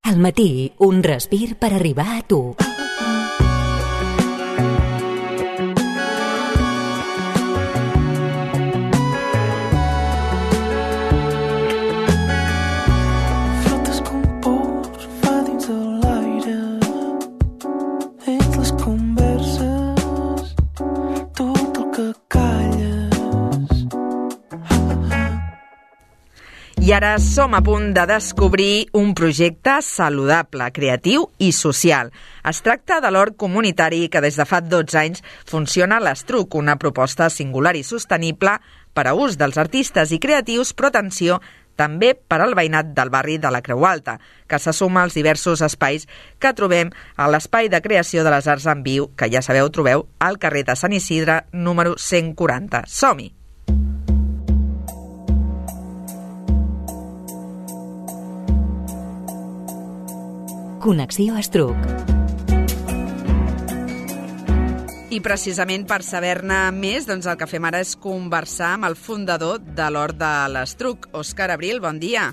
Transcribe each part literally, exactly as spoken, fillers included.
Al matí, un respir per arribar a tu. Flotes com pols, fa dins de l'aire, dins les converses, tot el que calles. I ara som a punt de descobrir un projecte saludable, creatiu i social. Es tracta de l'hort comunitari que des de fa dotze anys funciona a l'Estruc, una proposta singular i sostenible per a ús dels artistes i creatius, però atenció, també per al veïnat del barri de la Creu Alta, que se suma als diversos espais que trobem a l'Espai de Creació de les Arts en Viu, que ja sabeu, trobeu al carrer de Sant Isidre, número cent quaranta. Som-hi! Connexió Estruc. I precisament per saber-ne més, doncs el que fem ara és conversar amb el fundador de l'Hort de l'Estruc, Òscar Abril. Bon dia.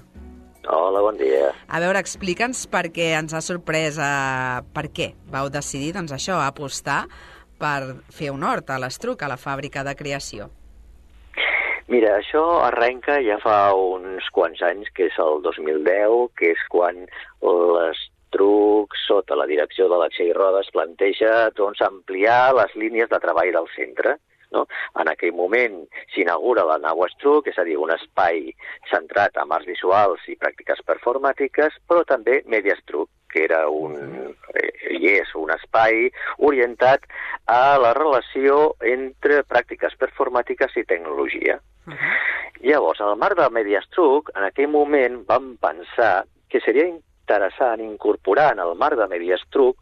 Hola, bon dia. A veure, explica'ns per què ens ha sorprès, eh, per què vau decidir, doncs això, apostar per fer un hort a l'Estruc, a la fàbrica de creació. Mira, això arrenca ja fa uns quants anys, que és el dos mil deu, que és quan l'Estruc, sota la direcció de la Txell Rodes, planteja doncs, ampliar les línies de treball del centre. No? En aquell moment s'inaugura la nau Estruc, és a dir, un espai centrat en arts visuals i pràctiques performàtiques, però també Media Estruc, que era un, eh, i és un espai orientat a la relació entre pràctiques performàtiques i tecnologia. Uh -huh. Llavors, en el marc de Media Estruc, en aquell moment vam pensar que seria interessant incorporar en el marc de Media Estruc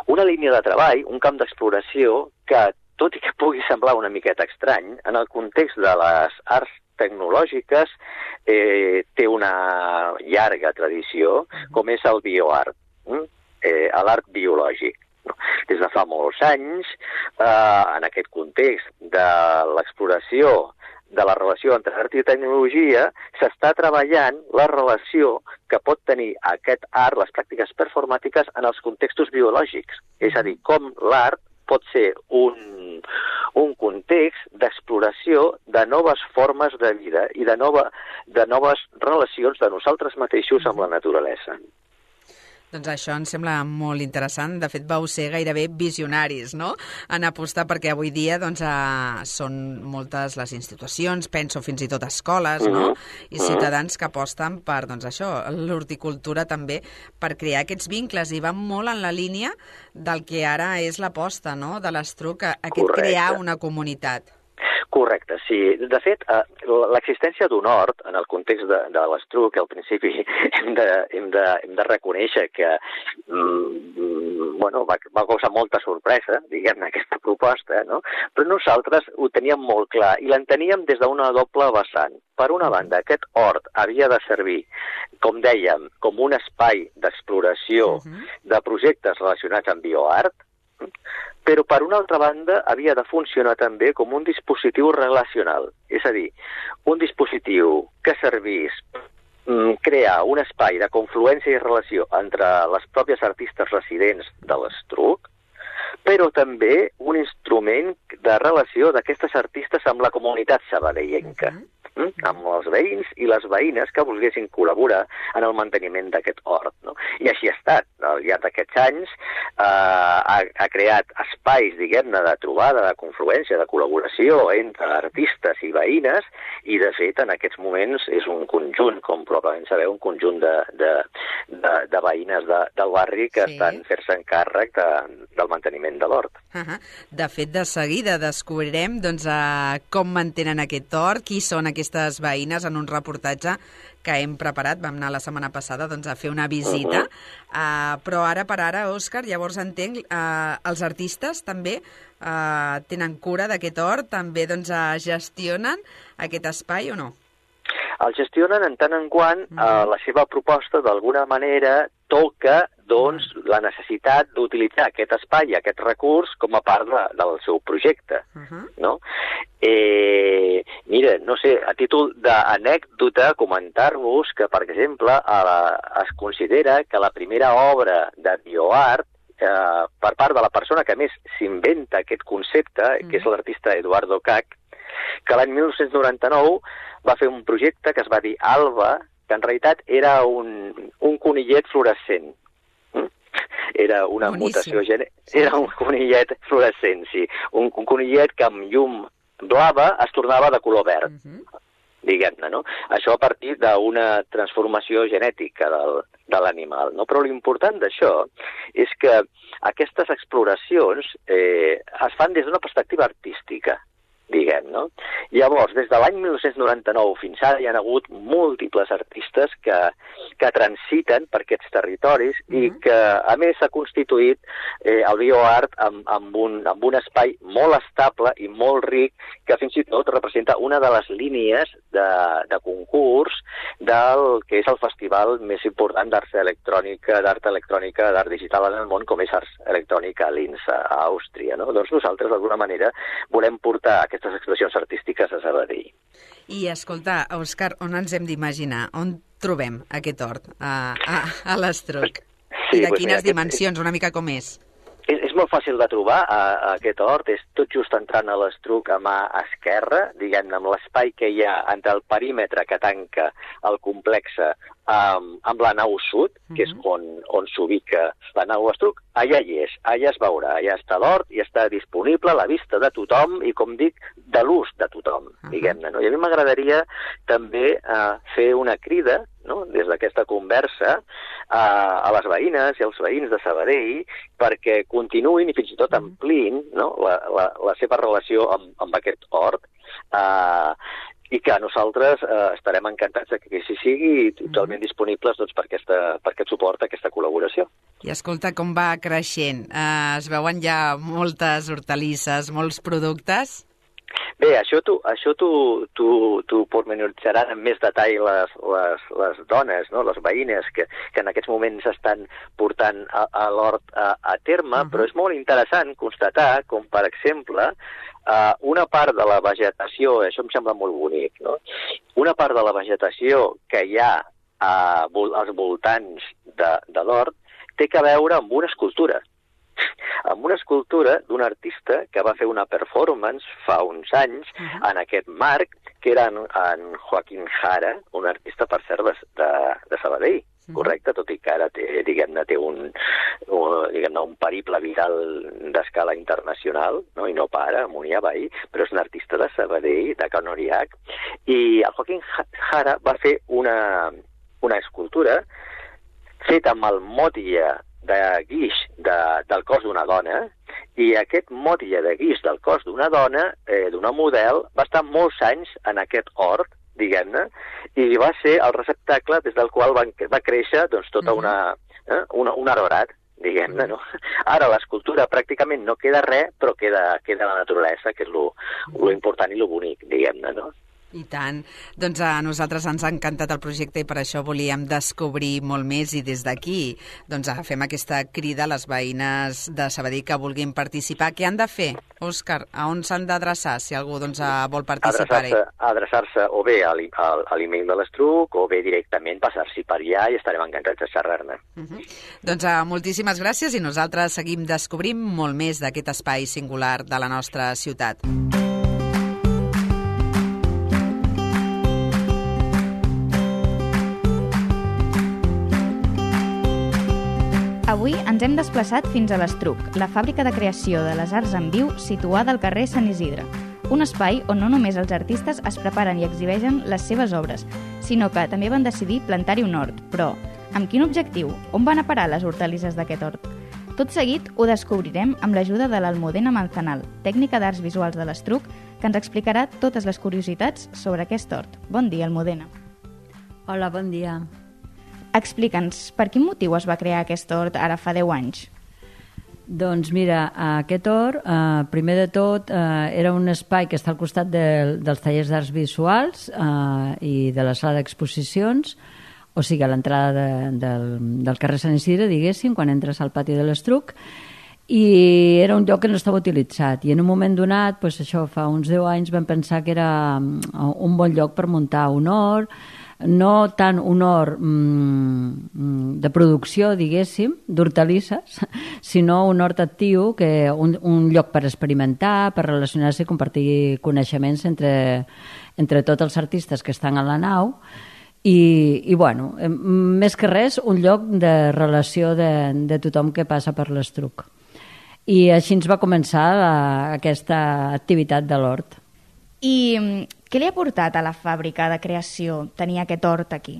una línia de treball, un camp d'exploració que, tot i que pugui semblar una miqueta estrany, en el context de les arts tecnològiques eh, té una llarga tradició, com és el bioart, eh, l'art biològic. Des de fa molts anys, eh, en aquest context de l'exploració de la relació entre art i tecnologia, s'està treballant la relació que pot tenir aquest art, les pràctiques performàtiques, en els contextos biològics. És a dir, com l'art pot ser un, un context d'exploració de noves formes de vida i de, nova, de noves relacions de nosaltres mateixos amb la naturalesa. Doncs això em sembla molt interessant. De fet, vau ser gairebé visionaris, no?, en apostar, perquè avui dia doncs, eh, són moltes les institucions, penso fins i tot escoles, no?, i ciutadans que aposten per, doncs això, l'horticultura també, per crear aquests vincles, i van molt en la línia del que ara és l'aposta, no?, de l'Estruc, aquest Correcte. Crear una comunitat. Correcte, sí. De fet, eh, l'existència d'un hort, en el context de, de l'Estruc, al principi hem de, hem de, hem de reconèixer que mm, bueno, va, va causar molta sorpresa, diguem-ne, aquesta proposta, no? Però nosaltres ho teníem molt clar i l'enteníem des d'una doble vessant. Per una banda, aquest hort havia de servir, com dèiem, com un espai d'exploració uh-huh. de projectes relacionats amb bioart, però per una altra banda havia de funcionar també com un dispositiu relacional, és a dir, un dispositiu que servís mm, crear un espai de confluència i relació entre les pròpies artistes residents de l'Estruc, però també un instrument de relació d'aquestes artistes amb la comunitat sabadellenca. Uh-huh. amb els veïns i les veïnes que volguessin col·laborar en el manteniment d'aquest hort. No? I així ha estat. Al llarg d'aquests anys eh, ha, ha creat espais, diguem-ne, de trobada, de confluència, de col·laboració entre artistes i veïnes, i de fet en aquests moments és un conjunt, com probablement sabeu, un conjunt de, de, de, de veïnes de, del barri que sí. estan fer-se encàrrec de, del manteniment de l'hort. Uh-huh. De fet, de seguida descobrirem doncs, uh, com mantenen aquest hort, qui són aquestes veïnes, en un reportatge que hem preparat. Vam anar la setmana passada doncs, a fer una visita, uh-huh. uh, però ara per ara, Òscar, llavors entenc, uh, els artistes també uh, tenen cura d'aquest hort, també doncs, uh, gestionen aquest espai o no? El gestionen en tant en quant uh, la seva proposta d'alguna manera toca doncs, la necessitat d'utilitzar aquest espai, aquest recurs, com a part de, del seu projecte, uh-huh. no? Eh, mira, no sé, a títol d'anècdota, comentar-vos que, per exemple, a la, es considera que la primera obra de bioart, eh, per part de la persona que més s'inventa aquest concepte, uh-huh. que és l'artista Eduardo Kac, que l'any mil nou-cents noranta-nou va fer un projecte que es va dir Alba, que en realitat era un, un conillet fluorescent. Era una Boníssim. mutació genètica. Era un conillet fluorescent, sí. Un, un conillet que amb llum blava es tornava de color verd, uh-huh. diguem-ne, no? Això a partir d'una transformació genètica del, de l'animal, no? Però l'important d'això és que aquestes exploracions eh, es fan des d'una perspectiva artística, diguem, no? Llavors, des de l'any mil nou-cents noranta-nou fins ara hi ha hagut múltiples artistes que, que transiten per aquests territoris uh-huh. i que, a més, s'ha constituït eh, el bioart amb, amb, un, amb un espai molt estable i molt ric que fins i tot representa una de les línies de, de concurs del que és el festival més important d'art electrònica, d'art electrònica, d'art digital en el món, com és Ars Electrònica a Linz, a Àustria, no? Doncs nosaltres, d'alguna manera, volem portar aquestes expressions artístiques a Sabadell. I, escolta, Òscar, on ens hem d'imaginar? On trobem aquest hort a, a, a l'Estruc? Sí, I de doncs quines mira, dimensions? Aquest... Una mica com és? És, és molt fàcil de trobar, a, a aquest hort. És tot just entrant a l'Estruc a mà esquerra, diguem-ne, amb l'espai que hi ha entre el perímetre que tanca el complex um, amb la nau sud, uh-huh. que és on, on s'ubica la nau Estruc. Allà hi és, allà es veurà, allà està l'hort i està disponible a la vista de tothom i, com dic, de l'ús de tothom, uh-huh. diguem-ne. No? I a mi m'agradaria també uh, fer una crida, no? Des d'aquesta conversa, uh, a les veïnes i als veïns de Sabadell perquè continuïn i fins i tot ampliïn, no? la, la, la seva relació amb, amb aquest hort, uh, i que nosaltres uh, estarem encantats de que així sigui i totalment disponibles doncs, per, aquesta, per aquest suport, aquesta col·laboració. I escolta com va creixent. Uh, es veuen ja moltes hortalisses, molts productes? Bé, això t'ho això t'ho, t'ho, t'ho pormenoritzaran amb més detall les, les, les dones, no? Les veïnes que, que en aquests moments estan portant a, a l'hort a, a terme, uh-huh. però és molt interessant constatar com, per exemple, uh, una part de la vegetació, això em sembla molt bonic, no? Una part de la vegetació que hi ha uh, als voltants de, de l'hort té que veure amb una escultura. amb una escultura d'un artista que va fer una performance fa uns anys uh-huh. en aquest marc, que era en, en Joaquín Jara, un artista, per cert, de, de Sabadell, uh-huh. correcte? Tot i que ara té, diguem-ne, té un, un, diguem-ne, un periple viral d'escala internacional, no? I no para, amunt i avall, però és un artista de Sabadell, de Can Oriac, i el Joaquín Jara va fer una, una escultura feta amb el motlle de guix de, del cos d'una dona, i aquest motlle de guix del cos d'una dona, eh, d'una model, va estar molts anys en aquest hort, diguem-ne, i va ser el receptacle des del qual va, va créixer doncs, tota una, eh, una, un arborat, diguem-ne, no? Ara l'escultura pràcticament no queda res, però queda, queda la naturalesa, que és lo, lo important i lo bonic, diguem-ne, no? I tant. Doncs a nosaltres ens ha encantat el projecte i per això volíem descobrir molt més i des d'aquí doncs fem aquesta crida a les veïnes de Sabadell que vulguin participar. Què han de fer, Òscar? A on s'han d'adreçar si algú doncs, vol participar-hi? Adreçar-se, adreçar-se o bé a l'email de l'Estruc o bé directament passar-s'hi per allà i estarem encantats de xerrar-ne. Uh-huh. Doncs uh, moltíssimes gràcies i nosaltres seguim descobrint molt més d'aquest espai singular de la nostra ciutat. Avui ens hem desplaçat fins a l'Estruc, la fàbrica de creació de les arts en viu situada al carrer Sant Isidre. Un espai on no només els artistes es preparen i exhibeixen les seves obres, sinó que també van decidir plantar-hi un hort. Però, amb quin objectiu? On van a parar les hortalisses d'aquest hort? Tot seguit ho descobrirem amb l'ajuda de l'Almudena Manzanal, tècnica d'arts visuals de l'Estruc, que ens explicarà totes les curiositats sobre aquest hort. Bon dia, Almudena. Hola, bon dia. Explica'ns, per quin motiu es va crear aquest hort ara fa deu anys? Doncs mira, aquest hort, eh, primer de tot, eh, era un espai que està al costat de, dels tallers d'arts visuals eh, i de la sala d'exposicions, o sigui, a l'entrada de, del, del carrer Sant Isidre, diguéssim, quan entres al pati de l'Estruc, i era un lloc que no estava utilitzat, i en un moment donat, doncs això, fa uns deu anys, vam pensar que era un bon lloc per muntar un hort, no tant un hort mm, de producció, diguéssim, d'hortalisses, sinó un hort actiu, que un, un lloc per experimentar, per relacionar-se i compartir coneixements entre, entre tots els artistes que estan a la nau, i, i bueno, més que res, un lloc de relació de, de tothom que passa per l'Estruc. I així ens va començar la, aquesta activitat de l'hort. I què li ha portat a la fàbrica de creació tenir aquest hort aquí?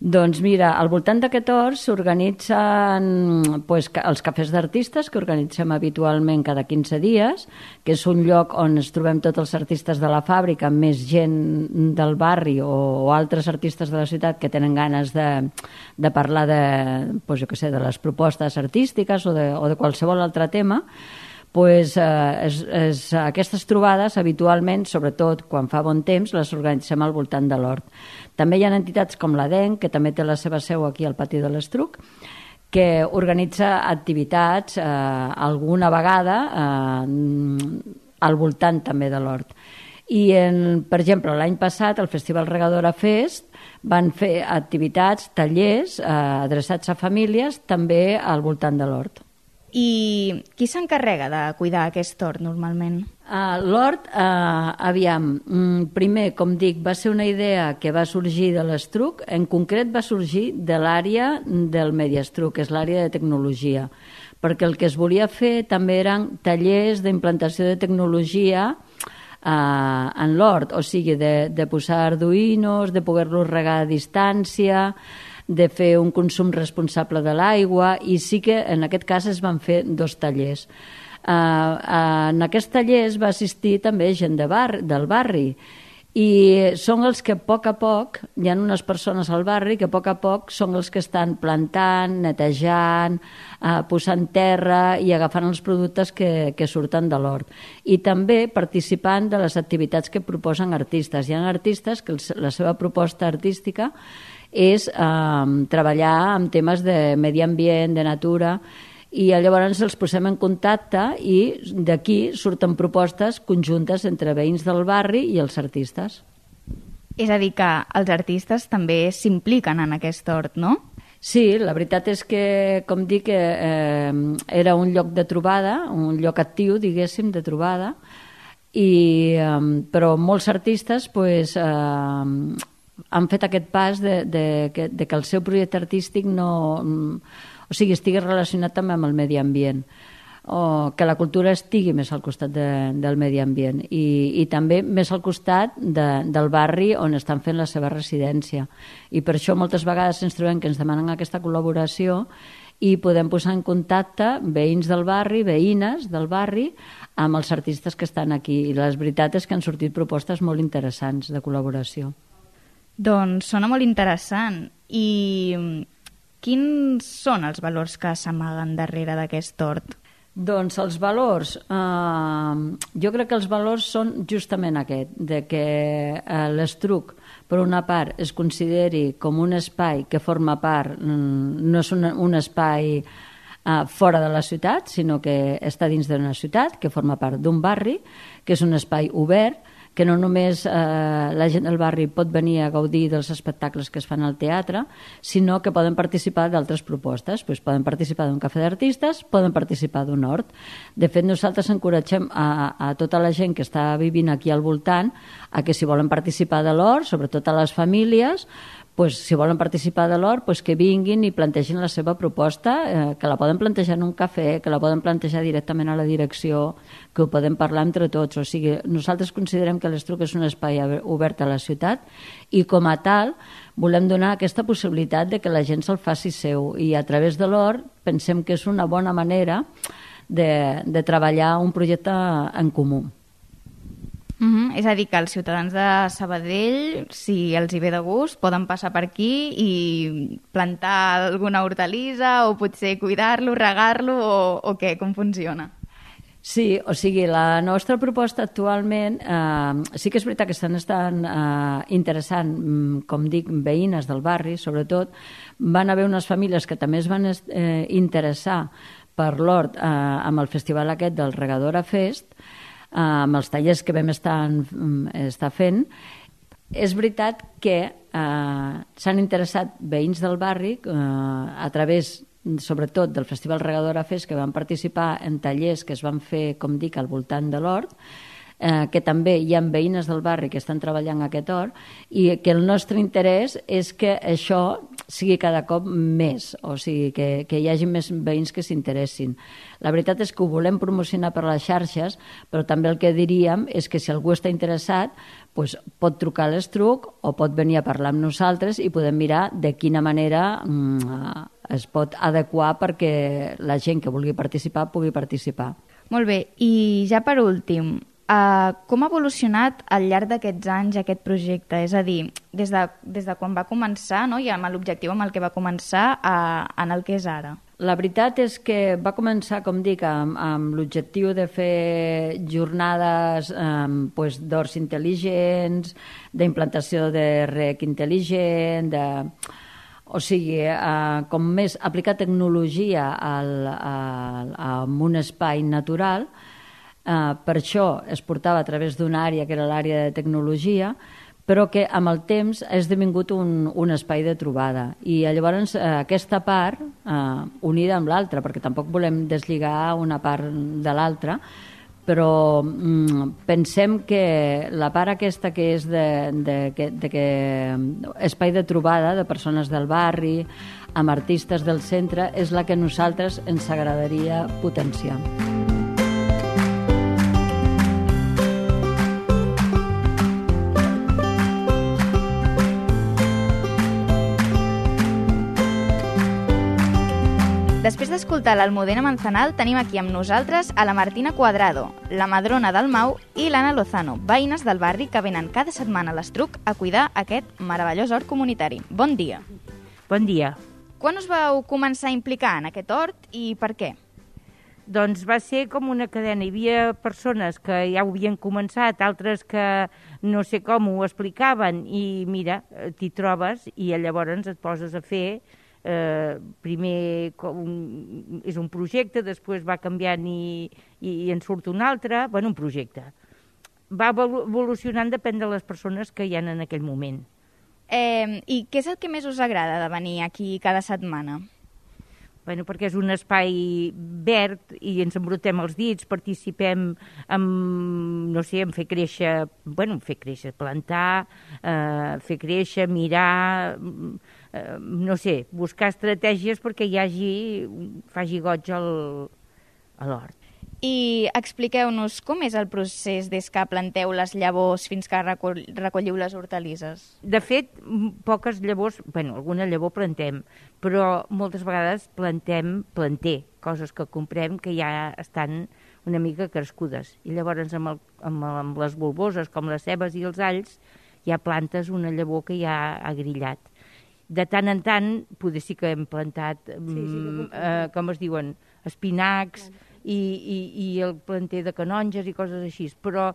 Doncs mira, al voltant d'aquest hort s'organitzen pues, els cafès d'artistes que organitzem habitualment cada quinze dies, que és un lloc on ens trobem tots els artistes de la fàbrica, més gent del barri o, o altres artistes de la ciutat que tenen ganes de, de parlar de, pues, jo què sé, de les propostes artístiques o de, o de qualsevol altre tema. Pues, eh, és, és, aquestes trobades habitualment, sobretot quan fa bon temps, les organitzem al voltant de l'hort. També hi ha entitats com l'A D E N, que també té la seva seu aquí al pati de l'Estruc, que organitza activitats eh, alguna vegada eh, al voltant també de l'hort. I, en, per exemple, l'any passat, al Festival Regadora Fest, van fer activitats, tallers eh, adreçats a famílies, també al voltant de l'hort. I qui s'encarrega de cuidar aquest hort normalment? Uh, L'hort, uh, aviam, mm, primer, com dic, va ser una idea que va sorgir de l'Estruc, en concret va sorgir de l'àrea del Mediastruc, que és l'àrea de tecnologia, perquè el que es volia fer també eren tallers d'implantació de tecnologia uh, en l'hort, o sigui, de, de posar arduïnos, de poder-los regar a distància, de fer un consum responsable de l'aigua, i sí que en aquest cas es van fer dos tallers. Uh, uh, en aquests tallers va assistir també gent de bar, del barri, i són els que a poc a poc, hi ha unes persones al barri que a poc a poc són els que estan plantant, netejant, uh, posant terra i agafant els productes que, que surten de l'hort. I també participant de les activitats que proposen artistes. Hi ha artistes que els, la seva proposta artística és eh, treballar amb temes de medi ambient, de natura, i llavors els posem en contacte i d'aquí surten propostes conjuntes entre veïns del barri i els artistes. És a dir, que els artistes també s'impliquen en aquest hort, no? Sí, la veritat és que, com dic, eh, era un lloc de trobada, un lloc actiu, diguéssim, de trobada, i, eh, però molts artistes pues, eh, han fet aquest pas de, de, de, de que el seu projecte artístic no, o sigui, estigui relacionat també amb el medi ambient, o que la cultura estigui més al costat de, del medi ambient, i, i també més al costat de, del barri on estan fent la seva residència. I per això moltes vegades ens trobem que ens demanen aquesta col·laboració i podem posar en contacte veïns del barri, veïnes del barri, amb els artistes que estan aquí. I la veritat és que han sortit propostes molt interessants de col·laboració. Doncs sona molt interessant. I quins són els valors que s'amaguen darrere d'aquest hort? Doncs els valors, eh, jo crec que els valors són justament aquest, de que eh, l'Estruc, per una part, es consideri com un espai que forma part, no és un, un espai eh, fora de la ciutat, sinó que està dins d'una ciutat, que forma part d'un barri, que és un espai obert, que no només eh, la gent del barri pot venir a gaudir dels espectacles que es fan al teatre, sinó que poden participar d'altres propostes. Pues poden participar d'un cafè d'artistes, poden participar d'un hort. De fet, nosaltres encoratgem a, a tota la gent que està vivint aquí al voltant a que si volen participar de l'hort, sobretot a les famílies, pues, si volen participar de l'hort, pues, que vinguin i plantegin la seva proposta, eh, que la poden plantejar en un cafè, que la poden plantejar directament a la direcció, que ho podem parlar entre tots. O sigui, nosaltres considerem que l'Estruc és un espai obert a la ciutat i com a tal volem donar aquesta possibilitat de que la gent se'l faci seu, i a través de l'hort pensem que és una bona manera de, de treballar un projecte en comú. Uh-huh. És a dir, que els ciutadans de Sabadell, si els hi ve de gust, poden passar per aquí i plantar alguna hortalissa o potser cuidar-lo, regar-lo o, o què? Com funciona? Sí, o sigui, la nostra proposta actualment, eh, sí que és veritat que estan estan eh, interessant, com dic, veïnes del barri, sobretot. Van haver unes famílies que també es van eh, interessar per l'hort eh, amb el festival aquest del Regadora Fest, eh, amb els tallers que vam estar, estar fent. És veritat que eh, s'han interessat veïns del barri eh, a través sobretot del Festival Regadora Fest, que van participar en tallers que es van fer, com dic, al voltant de l'hort, eh, que també hi ha veïnes del barri que estan treballant aquest hort, i que el nostre interès és que això sigui cada cop més, o sigui, que, que hi hagi més veïns que s'interessin. La veritat és que ho volem promocionar per les xarxes, però també el que diríem és que si algú està interessat, pues, pot trucar a l'Estruc o pot venir a parlar amb nosaltres i podem mirar de quina manera mm, es pot adequar perquè la gent que vulgui participar pugui participar. Molt bé, i ja per últim, uh, com ha evolucionat al llarg d'aquests anys aquest projecte? És a dir, des de, des de quan va començar, no? I amb l'objectiu amb el que va començar a, en el que és ara. La veritat és que va començar, com dic, amb, amb l'objectiu de fer jornades um, pues, d'horts intel·ligents, d'implantació de rec intel·ligent, de... o sigui, uh, com més aplicar tecnologia al, al, a un espai natural. Uh, per això es portava a través d'una àrea que era l'àrea de tecnologia, però que amb el temps ha esdevingut un, un espai de trobada. I llavors aquesta part, eh, unida amb l'altra, perquè tampoc volem deslligar una part de l'altra, però mm, pensem que la part aquesta que és de, de, de, de que espai de trobada de persones del barri, amb artistes del centre, és la que a nosaltres ens agradaria potenciar. Després d'escoltar l'Almudena Manzanal, tenim aquí amb nosaltres a la Martina Cuadrado, la Madrona Dalmau i l'Anna Lozano, veïnes del barri que venen cada setmana a l'Estruc a cuidar aquest meravellós hort comunitari. Bon dia. Bon dia. Quan us vau començar a implicar en aquest hort i per què? Doncs va ser com una cadena. Hi havia persones que ja ho havien començat, altres que no sé com ho explicaven, i mira, t'hi trobes i llavors et poses a fer. Eh, primer com, és un projecte, després va canviant i, i, i en surt un altre, bueno, un projecte. Va evolucionant, depèn de les persones que hi ha en aquell moment. Eh, I què és el que més us agrada de venir aquí cada setmana? Bueno, perquè és un espai verd i ens embrutem els dits, participem en, no sé, en fer créixer, bueno, fer créixer, plantar, eh, fer créixer, mirar, eh, no sé, buscar estratègies perquè hi hagi, faci goig al, a l'hort. I expliqueu-nos com és el procés des que planteu les llavors fins que recull, recolliu les hortalisses. De fet, poques llavors, bueno, alguna llavor plantem, però moltes vegades plantem planter, coses que comprem que ja estan una mica crescudes. I llavors amb, el, amb, amb les bulboses, com les cebes i els alls, ja plantes una llavor que ja ha grillat. De tant en tant, potser sí que hem plantat, sí, sí, mm, eh, com es diuen, espinacs, I, i, i el planter de canonges i coses així, però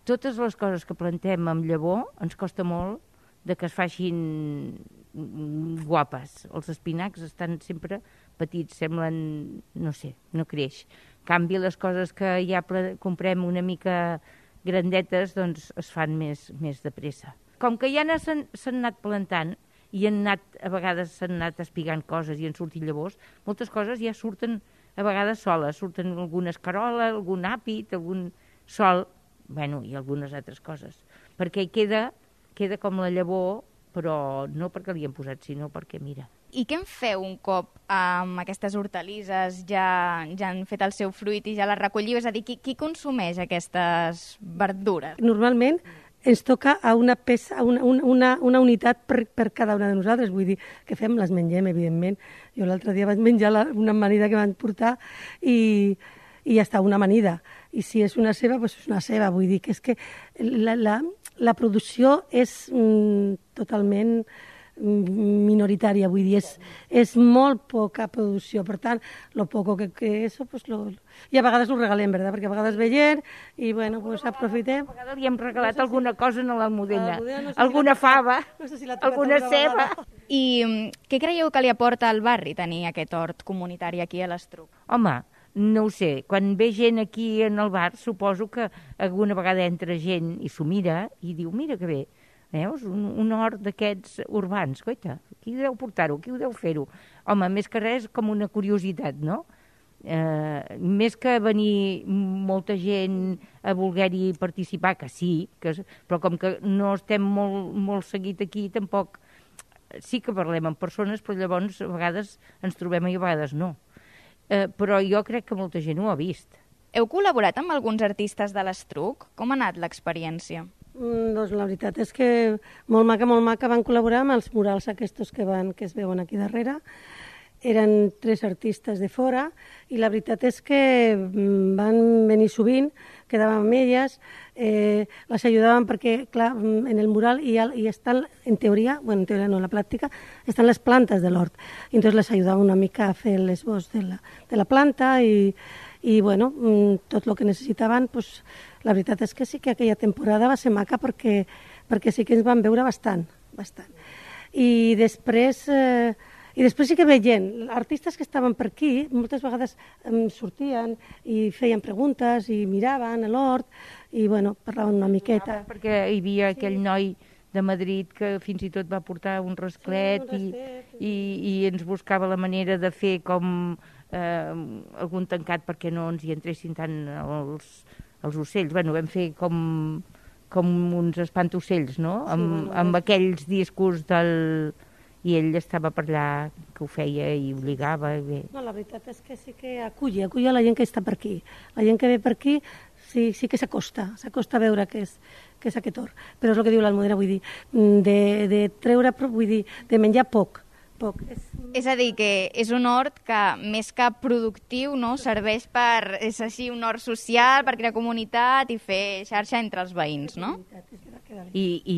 totes les coses que plantem amb llavor ens costa molt de que es facin guapes. Els espinacs estan sempre petits, semblen, no sé, no creix. En canvi, les coses que ja comprem una mica grandetes, doncs es fan més, més de pressa. Com que ja s'han anat plantant i han anat, a vegades s'han anat espigant coses i han sortit llavors, moltes coses ja surten a vegades soles, surten alguna escarola, algun àpid, algun sol, bueno, i algunes altres coses. Perquè hi queda, queda com la llavor, però no perquè li hem posat, sinó perquè, mira. I què en feu un cop amb aquestes hortalisses ja, ja han fet el seu fruit i ja les recolliu? És a dir, qui, qui consumeix aquestes verdures? Normalment ens toca a una peça, una, una, una unitat per, per cada una de nosaltres, vull dir, que fem, les mengem, evidentment. Jo l'altre dia vaig menjar la, una amanida que van portar i, i ja està, una amanida. I si és una ceba, doncs és una ceba. Vull dir que és que la, la, la producció és mm, totalment minoritària, vull dir, és, és molt poca producció, per tant, lo poco que, que eso, pues lo, i a vegades ho regalem, ¿verdad? Perquè a vegades ve gent i, bueno, pues aprofitem. A vegades li hem regalat no sé alguna si... cosa a l'Almudena, no sé si alguna la... fava, no sé si la alguna ceba. I què creieu que li aporta al barri tenir aquest hort comunitari aquí a l'Estruc? Home, no ho sé, quan ve gent aquí en el bar, suposo que alguna vegada entra gent i s'ho mira i diu, mira que bé, veus, un, un hort d'aquests urbans, coita, qui deu portar-ho, qui ho deu fer-ho? Home, més que res, com una curiositat, no? Eh, més que venir molta gent a voler-hi participar, que sí, que, però com que no estem molt, molt seguit aquí, tampoc sí que parlem amb persones, però llavors a vegades ens trobem i a vegades no. Eh, però jo crec que molta gent ho ha vist. Heu col·laborat amb alguns artistes de l'Estruc? Com ha anat l'experiència? Mm, doncs la veritat és que molt maca, molt maca, van col·laborar amb els murals aquests que, van, que es veuen aquí darrere. Eren tres artistes de fora i la veritat és que van venir sovint, quedàvem amb elles, eh, les ajudaven perquè, clar, en el mural hi, ha, hi estan, en teoria, bueno, en teoria no, en la pràctica, estan les plantes de l'hort. I entonces les ajudaven una mica a fer l'esbós de la, de la planta i, i bueno, tot el que necessitaven, pues, la veritat és que sí que aquella temporada va ser maca perquè, perquè sí que ens van veure bastant, bastant. I després, eh, i després sí que ve gent, artistes que estaven per aquí, moltes vegades eh, sortien i feien preguntes i miraven a l'hort i bueno, parlaven una miqueta. Perquè hi havia aquell noi de Madrid que fins i tot va portar un rasclet, sí, un rasclet i, i, i ens buscava la manera de fer com eh, algun tancat perquè no ens hi entressin tant els, els ocells. Bueno, vam fer com, com uns espantocells, no? Sí, amb, bueno, amb aquells discos del... I ell estava per allà, que ho feia i obligava. I bé. No, la veritat és que sí que acull, acull a la gent que està per aquí. La gent que ve per aquí sí, sí que s'acosta, s'acosta a veure què és, què és aquest hort. Però és el que diu l'Almudena, vull dir, de, de treure, vull dir, de menjar poc. Poc. És... és a dir, que és un hort que, més que productiu, no, serveix per, és així, un hort social, per crear comunitat i fer xarxa entre els veïns, no? I, i,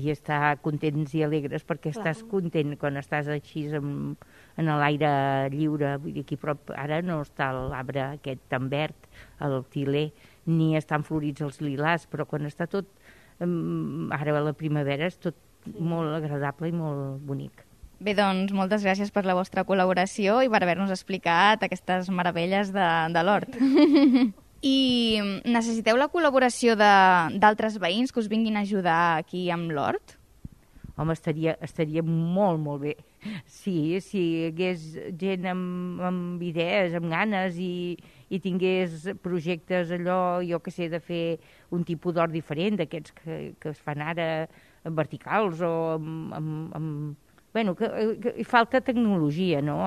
i estar contents i alegres, perquè Clar. Estàs content quan estàs així en, en l'aire lliure. Vull dir, aquí prop ara no està l'arbre aquest tan verd, el tiler, ni estan florits els lilàs, però quan està tot, ara a la primavera, és tot molt agradable i molt bonic. Bé, doncs, moltes gràcies per la vostra col·laboració i per haver-nos explicat aquestes meravelles de, de l'hort. I necessiteu la col·laboració d'altres veïns que us vinguin a ajudar aquí amb l'hort? Home, estaria, estaria molt, molt bé. Sí, si hi hagués gent amb, amb idees, amb ganes i, i tingués projectes allò, jo que sé, de fer un tipus d'hort diferent, d'aquests que, que es fan ara verticals o amb... amb, amb Bueno, que, que hi falta tecnologia, no?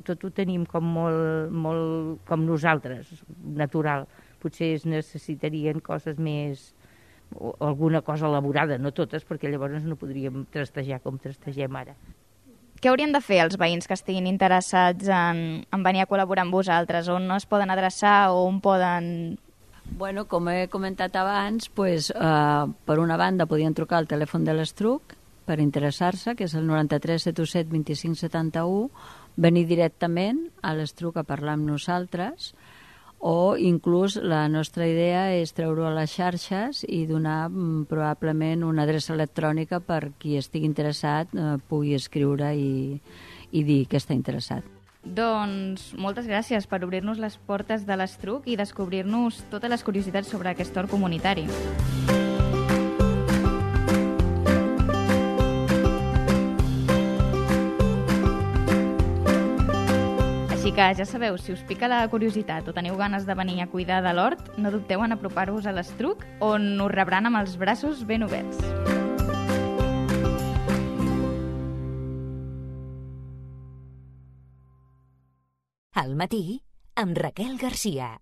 Tot ho tenim com molt, molt com nosaltres, natural. Potser es necessitarien coses més, o alguna cosa elaborada, no totes, perquè llavors no podríem trastejar com trastegem ara. Què haurien de fer els veïns que estiguin interessats en, en venir a col·laborar amb vosaltres? On es poden adreçar o on poden... Bueno, com he comentat abans, pues, uh, per una banda podien trucar al telèfon de l'Estruc, per interessar-se, que és el noranta-tres setanta set vint-i-cinc setanta-u, venir directament a l'Estruc a parlar amb nosaltres, o inclús la nostra idea és treure-ho a les xarxes i donar mm, probablement una adreça electrònica per qui estigui interessat eh, pugui escriure i, i dir que està interessat. Doncs moltes gràcies per obrir-nos les portes de l'Estruc i descobrir-nos totes les curiositats sobre aquest hort comunitari. Així que ja sabeu, si us pica la curiositat o teniu ganes de venir a cuidar de l'hort, no dubteu en apropar-vos a l'Estruc, on us rebran amb els braços ben oberts. Al matí, amb Raquel Garcia.